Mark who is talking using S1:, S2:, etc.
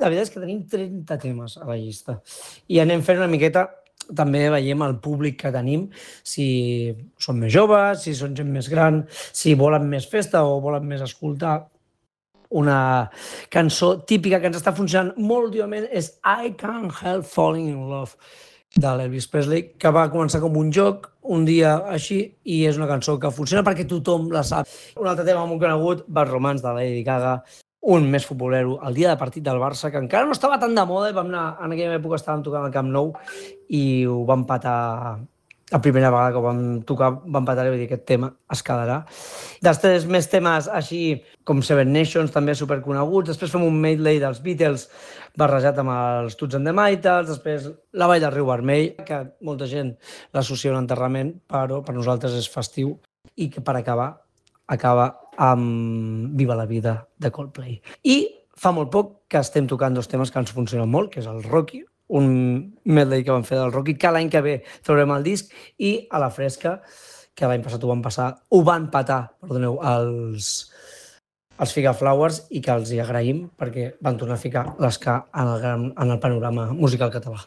S1: la veritat és que tenim 30 temes a la llista i anem fent una miqueta, també veiem el públic que tenim, si són més joves, si són gent més gran, si volen més festa o volen més escoltar una cançó típica que ens està funcionant molt últimament és I Can't Help Falling in Love de l'Elvis Presley, que va començar com un joc un dia així i és una cançó que funciona perquè tothom la sap. Un altre tema molt conegut, Bad Romance de Lady Gaga, un més futbolero, el dia de partit del Barça, que encara no estava tan de moda, vam anar, en aquella època estàvem tocant al Camp Nou i ho vam empatar la primera vegada que ho vam tocar, vam empatar i vull dir, aquest tema es quedarà. Després més temes així com Seven Nations, també superconeguts, després fem un medley dels Beatles barrejat amb els Toots and the Maytals, després la Vall del Riu Vermell, que molta gent l'associa a un enterrament, però per nosaltres és festiu, i que per acabar acaba amb Viva la vida de Coldplay. I fa molt poc que estem tocant dos temes que ens funcionen molt, que és el Rocky, un medley que vam fer del Rocky, que l'any que ve traurem el disc, i a la fresca, que l'any passat ho van patar, perdoneu, els Figaflowers i que els hi agraïm perquè van tornar a ficar l'esca en el panorama musical català.